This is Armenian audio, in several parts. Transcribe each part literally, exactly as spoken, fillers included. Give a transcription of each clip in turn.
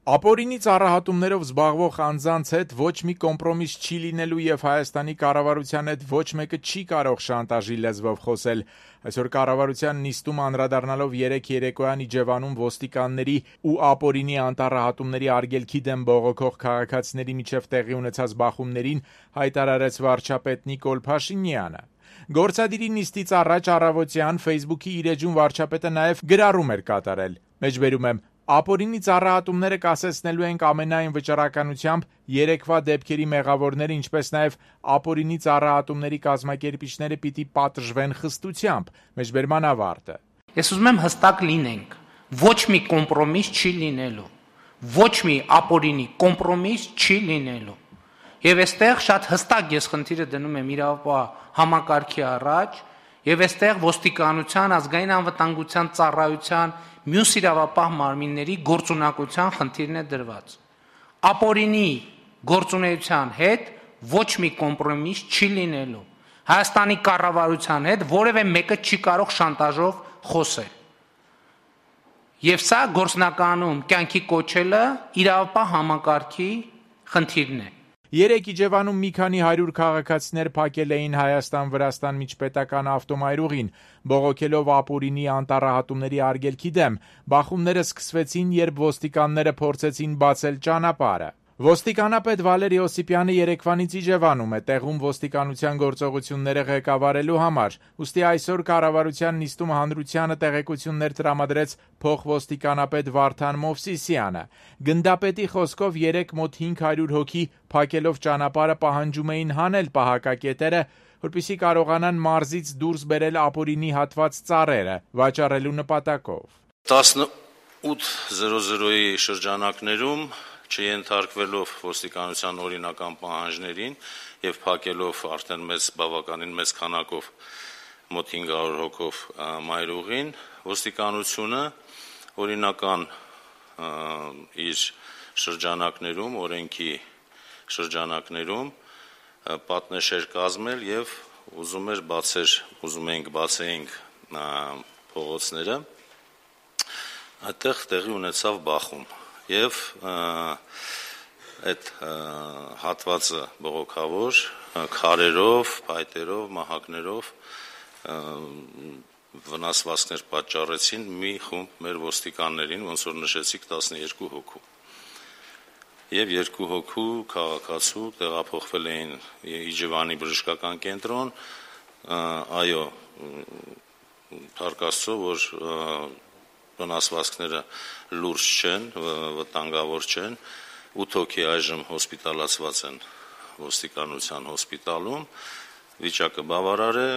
Ապօրինի ծառահատումներով զբաղվող անձանց հետ ոչ մի կոմպրոմիս չի լինելու և Հայաստանի կառավարության հետ ոչ մեկը չի կարող շանտաժի լեզվով խոսել։ Այսօր կառավարության նիստում անդրադառնալով երեկ երեկոյան Իջևանում ոստիկանների ու ապօրինի անտառահատումների արգելքի դեմ բողոքող քաղաքացիների միջև տեղի ունեցած բախումներին հայտարարեց վարչապետ Նիկոլ Փաշինյանը։ Գործադիրի նիստից առաջ առավոտյան Facebook-ի իր էջում վարչապետը նաև գրառում էր կատարել։ Մեջբերում եմ. Ապօրինի ծառահատումները կասեցնելու ենք ամենայն վճռականությամբ, երեկվա դեպքերի մեղավորները, ինչպես նաև ապօրինի ծառահատումների կազմակերպիչները պիտի պատժվեն խստությամբ։ Մեջբերման ավարտը։ Ես ուզում եմ հստակ լինենք, ոչ մի կոմպրոմիս չի լինելու, ոչ մի ապօրինի կոմպրոմիս չի լինելու։ Եվ այստեղ շատ հստակ ես խնդիրը դնում եմ իրավապահ համակարգի առաջ, եւ այստեղ ոստիկանության, ազգային անվտանգության ծառայության, մյուս իրավապահ մարմինների գործունակության խնդիրն է դրված։ Ապօրինի գործունեության հետ ոչ մի կոմպրոմիս չի լինելու։ Հայաստանի կառավարության հետ որևէ մեկը չի կարող շանտաժով խոսել։ Եվ սա գործնականում կյանքի կոչելը իրավապահ համակարգի խնդիրն է։ Երեկ Իջևանում մի քանի հարյուր քաղաքացիներ փակել էին Հայաստան-Վրաստան միջպետական ավտոմայրուղին, բողոքելով ապօրինի անտառահատումների արգելքի դեմ։ Բախումները սկսվեցին, երբ ոստիկանները փորձեցին բացել ճանապարհը։ Ոստիկանապետ Վալեր Յոսիպյանը երեկվանից Իջևանում է, տեղում ոստիկանության գործողությունները ղեկավարելու համար։ Ուստի այսօր կառավարության նիստում հանրությանը տեղեկություններ տրամադրեց փոխոստիկանապետ Վարդան Մովսիսյանը։ Գնդապետի խոսքով երեք մոտ հինգ հարյուր հոգի փակելով ճանապարհը պահանջում էին հանել պահակակետերը, որպեսզի կարողանան մարզից դուրս բերել ապօրինի հատված ծառերը վաճառելու նպատակով։ տասնութ զրո զրոյի շրջանակներում չենթարկվելով ոստիկանության օրինական պահանջներին եւ փակելով արդեն մեծ բավականին մեծ քանակով մոտ հինգ հարյուր հոգով մայրուղին, ոստիկանությունը օրինական իր շրջանակներում, օրենքի շրջանակներում պատնեշեր կազմել եւ ուզում էր բացեր, ուզում ենք բացեինք փողոցները, այդտեղ տեղի ունեցավ բախում եւ այդ հատվածը բողոքավոր քարերով, փայտերով, մահակներով վնասվածքներ պատճառեցին մի խումբ մեր ոստիկաններին, ոնց որ նշեցիք տասնյոթ հոգու։ Եվ երկու հոգու քաղաքացու տեղափոխվել էին Իջևանի բժշկական կենտրոն, այո, Փառք Աստծո, որ վնասվածքները լուրջ չեն, վտանգավոր չեն, ութ հոգի այժմ հոսպիտալացված են ոստիկանության հոսպիտալում, վիճակը բավարար է,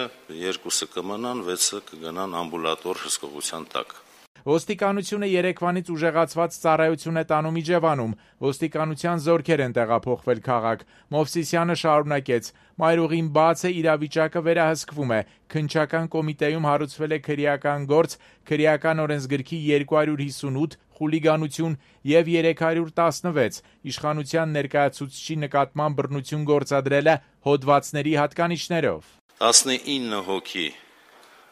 երկուսը կմնան, վեցը կգնան ամբուլատոր հսկողության տակ։ Ոստիկանությունը երեկվանից ուժեղացված ծառայություն է տանում Իջևանում, ոստիկանության զորքեր են տեղափոխվել քաղաք։ Մովսիսյանը շարունակեց. Մայրուղին բաց է, իրավիճակը վերահսկվում է։ Քննչական կոմիտեում հարուցվել է քրեական գործ, քրեական օրենսգրքի երկու հարյուր հիսունութ, խուլիգանություն եւ երեք հարյուր տասնվեց, իշխանության ներկայացուցչի նկատմամբ բռնություն գործադրելը հոդվածների հատկանիշներով։ տասնինը հոգի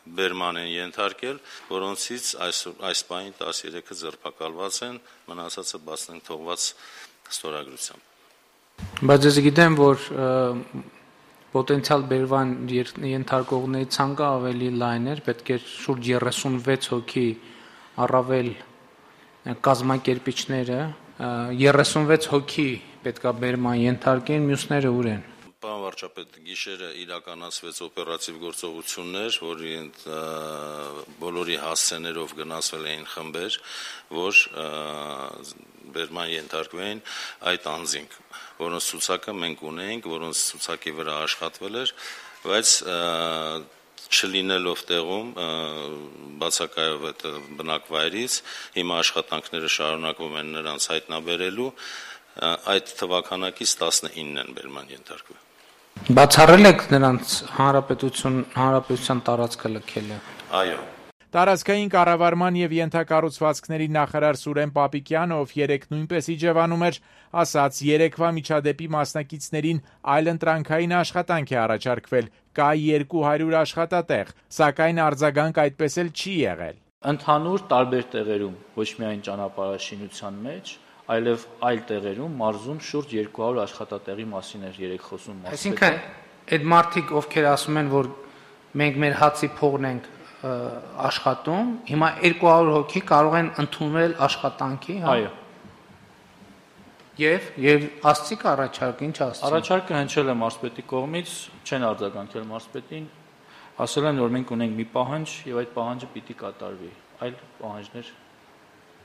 բերման են ենթարկել, որոնցից այս, այս պահին տասներեքը ձերբակալված են, մնացածը բացնենք թողված ստորագրությամբ։ Բայց ես գիտեմ, որ պոտենցիալ բերման ենթարկողների ցանկը ավելի լայն էր, պետք է շուրջ երեսունվեց հոգի առավել կազմակերպիչները, երեսունվեց հոգի պետքա բերման ենթարկեն, մյուսները ուր են։ Պարոն վարչապետ, գիշերը իրականացվեց օպերատիվ գործողություններ, որի բոլորի հասցեներով գնացվել էին խմբեր, որ բերման ենթարկվեին այդ անձինք, որոնց ցուցակը մենք ունեինք, որոնց ցուցակի վրա աշխատվել էր, բայց չլինելով տեղում բացակայով այդ բնակվայրից, հիմա աշխատանքները շարունակվում են նրանց հայտնաբերելու, այդ թվականակից տասնինն են բերման ենթարկվել։ Բացառել եք նրանց հանրապետություն, հանրապետության տարածքը լքելը։ Այո։ Տարածքային կառավարման եւ ենթակառուցվածքների նախարար Սուրեն Պապիկյանը, ով երեկ նույնպես Իջևանում էր, ասաց, երեկվա միջադեպի մասնակիցներին այլընտրանքային աշխատանք է առաջարկվել, կա երկու հարյուր աշխատատեղ, սակայն արձագանք այդպես էլ չի եղել։ Ընդհանուր տարբեր տեղերում, ոչ միայն ճանապարհաշինության մեջ, այլև այլ տեղերում մարզում շուրջ երկու հարյուր աշխատատեղի մասին էր երեք խոսում մասը։ Այսինքն այդ մարդիկ, ովքեր ասում են, որ մենք մեր հացի փողն ենք աշխատում, հիմա երկու հարյուր հոգի կարող են ընդունվել աշխատանքի, հա։ Այո։ Եվ եւ ասցիք առաջարկ, ինչ ասցիք։ Առաջարկը հնչել է մարզպետի կողմից, չեն արձագանքել մարզպետին, ասել են, որ մենք ունենք մի պահանջ եւ այդ պահանջը պիտի կատարվի, այլ պահանջներ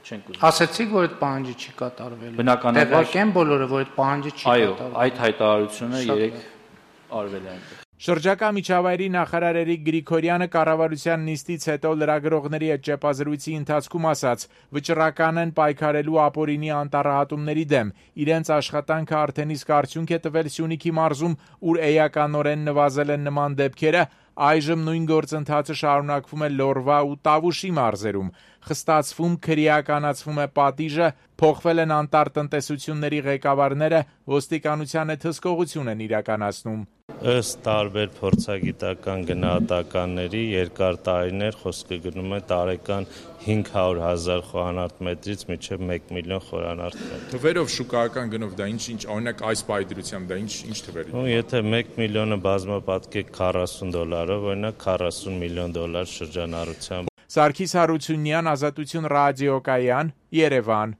չենք ուզում։ Ասացիք, որ այդ պահանջը չի կատարվելու։ Բնականաբար տեղակեն բոլորը, որ այդ պահանջը չի այո, կատարվելու։ այդ հայտարարությունը երեք արվել է այնտեղ։ Շրջակա միջավայրի նախարար Էրիկ Գրիգորյանը կառավարության նիստից հետո լրագրողների հետ ճեպազրույցի ընթացքում ասաց. վճռական են պայքարելու ապօրինի անտառահատումների դեմ։ Իրենց աշխատանքը արդեն իսկ արդյունք է տվել Սյունիքի մարզում, ուր էականորեն նվազել են նման դեպքերը, այժմ նույն գործընթացը շարունակվում է Լոռվա ու Տավուշի մարզերում։ Խստացվում, քրեականացվում է պատիժը, փոխվել են անտառտնտեսությունների ղեկավարները, ոստիկանության հետ հսկողություն են իրականացնում։ Ըստ տարբեր փորձագիտական գնահատականների երկար տարիներ խոսքը գնում է տարեկան հինգ հարյուր հազար խորանարդ մետրից մինչև մեկ միլիոն խորանարդ մետր։ Թվերով շուկայական գնով դա ինչ ինչ օրինակ այս պայծրությամբ դա ինչ ինչ թվերի։ Ու եթե մեկ միլիոնը բազմապատկեք քառասուն դոլարով, օրինակ քառասուն միլիոն դոլար շրջանառությամբ։ Սարգիս Հարությունյան, Ազատություն ռադիոկայան, Երևան։